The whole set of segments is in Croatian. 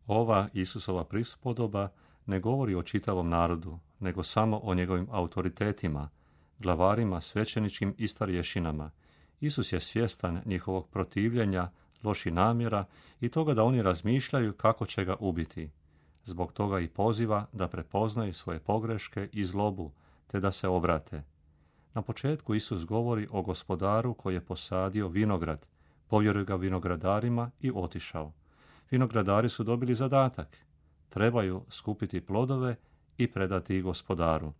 Ova Isusova prispodoba ne govori o čitavom narodu, nego samo o njegovim autoritetima, glavarima, svećeničkim i starješinama. Isus je svjestan njihovog protivljenja, loših namjera i toga da oni razmišljaju kako će ga ubiti. Zbog toga i poziva da prepoznaju svoje pogreške i zlobu, te da se obrate. Na početku Isus govori o gospodaru koji je posadio vinograd, povjerio ga vinogradarima i otišao. Vinogradari su dobili zadatak. Trebaju skupiti plodove i predati ih gospodaru.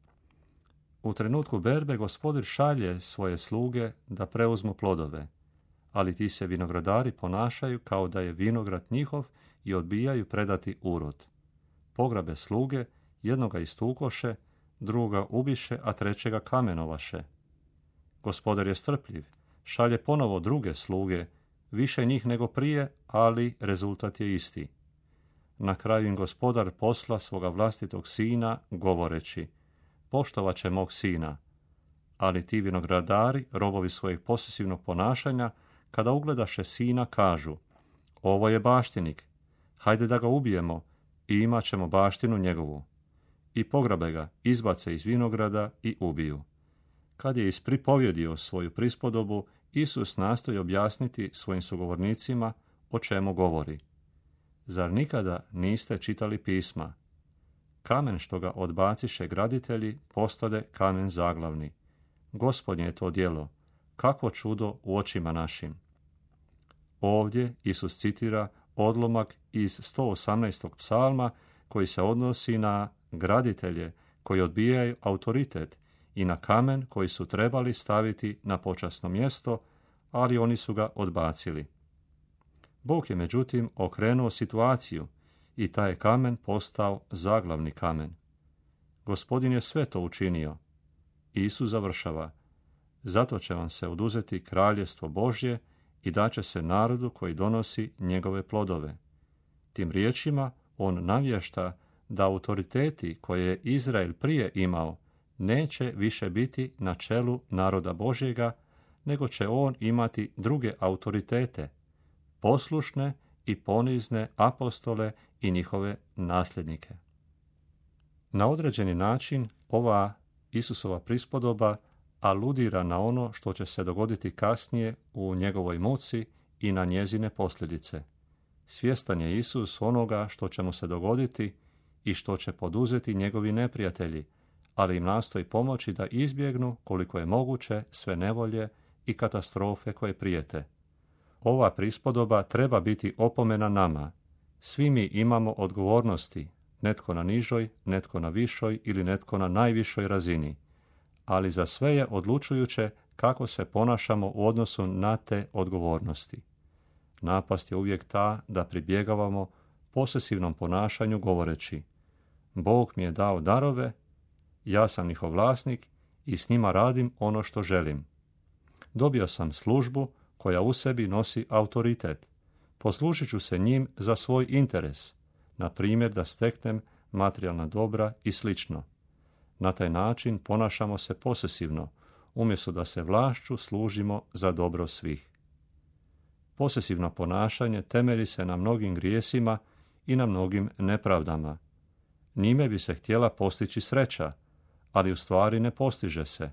U trenutku berbe gospodar šalje svoje sluge da preuzmu plodove, ali ti se vinogradari ponašaju kao da je vinograd njihov i odbijaju predati urod. Pograbe sluge, jednoga istukoše, drugoga ubiše, a trećega kamenovaše. Gospodar je strpljiv, šalje ponovo druge sluge, više njih nego prije, ali rezultat je isti. Na kraju im gospodar posla svoga vlastitog sina, govoreći: poštovat će mog sina. Ali ti vinogradari, robovi svojeg posesivnog ponašanja, kada ugledaše sina, kažu: ovo je baštinik, hajde da ga ubijemo i imat ćemo baštinu njegovu. I pograbe ga, izbace iz vinograda i ubiju. Kad je ispripovjedio svoju prispodobu, Isus nastoji objasniti svojim sugovornicima o čemu govori. Zar nikada niste čitali pisma? Kamen što ga odbaciše graditelji postade kamen zaglavni. Gospodnje je to djelo, kakvo čudo u očima našim. Ovdje Isus citira odlomak iz 118. psalma koji se odnosi na graditelje koji odbijaju autoritet i na kamen koji su trebali staviti na počasno mjesto, ali oni su ga odbacili. Bog je međutim okrenuo situaciju i taj je kamen postao zaglavni kamen. Gospodin je sve to učinio. Isus završava: zato će vam se oduzeti kraljevstvo Božje i daće se narodu koji donosi njegove plodove. Tim riječima on navješta da autoriteti koje je Izrael prije imao neće više biti na čelu naroda Božjega, nego će on imati druge autoritete, poslušne i ponizne apostole i njihove nasljednike. Na određeni način ova Isusova prispodoba aludira na ono što će se dogoditi kasnije u njegovoj muci i na njezine posljedice. Svjestan je Isus onoga što će mu se dogoditi i što će poduzeti njegovi neprijatelji, ali im nastoji pomoći da izbjegnu koliko je moguće sve nevolje i katastrofe koje prijete. Ova prispodoba treba biti opomena nama. Svi mi imamo odgovornosti, netko na nižoj, netko na višoj ili netko na najvišoj razini, ali za sve je odlučujuće kako se ponašamo u odnosu na te odgovornosti. Napast je uvijek ta da pribjegavamo posesivnom ponašanju govoreći: Bog mi je dao darove, ja sam njihov vlasnik i s njima radim ono što želim. Dobio sam službu koja u sebi nosi autoritet. Poslužit ću se njim za svoj interes, na primjer da steknem materijalna dobra i slično. Na taj način ponašamo se posesivno, umjesto da se vlašću služimo za dobro svih. Posesivno ponašanje temelji se na mnogim grijesima i na mnogim nepravdama. Njime bi se htjela postići sreća, ali u stvari ne postiže se.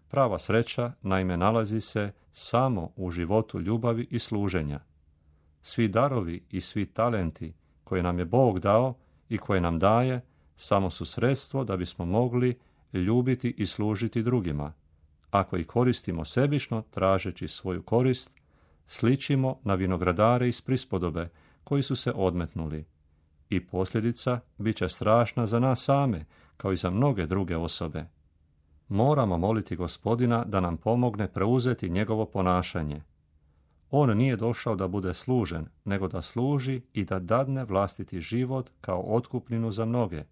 Prava sreća naime nalazi se samo u životu ljubavi i služenja. Svi darovi i svi talenti koje nam je Bog dao i koje nam daje samo su sredstvo da bismo mogli ljubiti i služiti drugima. Ako ih koristimo sebično, tražeći svoju korist, sličimo na vinogradare iz prispodobe koji su se odmetnuli. I posljedica bit će strašna za nas same, kao i za mnoge druge osobe. Moramo moliti Gospodina da nam pomogne preuzeti njegovo ponašanje. On nije došao da bude služen, nego da služi i da dadne vlastiti život kao otkupninu za mnoge.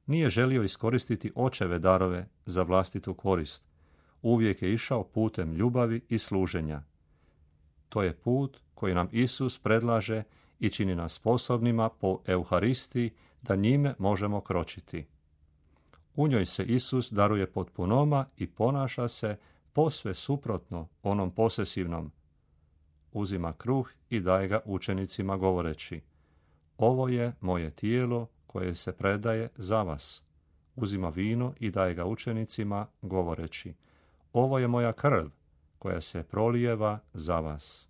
Nije želio iskoristiti očeve darove za vlastitu korist. Uvijek je išao putem ljubavi i služenja. To je put koji nam Isus predlaže i čini nas sposobnima po Euharistiji da njime možemo kročiti. U njoj se Isus daruje potpunoma i ponaša se posve suprotno onom posesivnom. Uzima kruh i daje ga učenicima govoreći: ovo je moje tijelo koje se predaje za vas. Uzima vino i daje ga učenicima, govoreći, ovo je moja krv koja se prolijeva za vas.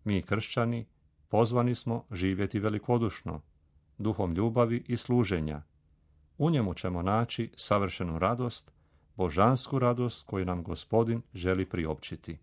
Mi kršćani pozvani smo živjeti velikodušno, duhom ljubavi i služenja. U njemu ćemo naći savršenu radost, božansku radost koju nam Gospodin želi priopćiti.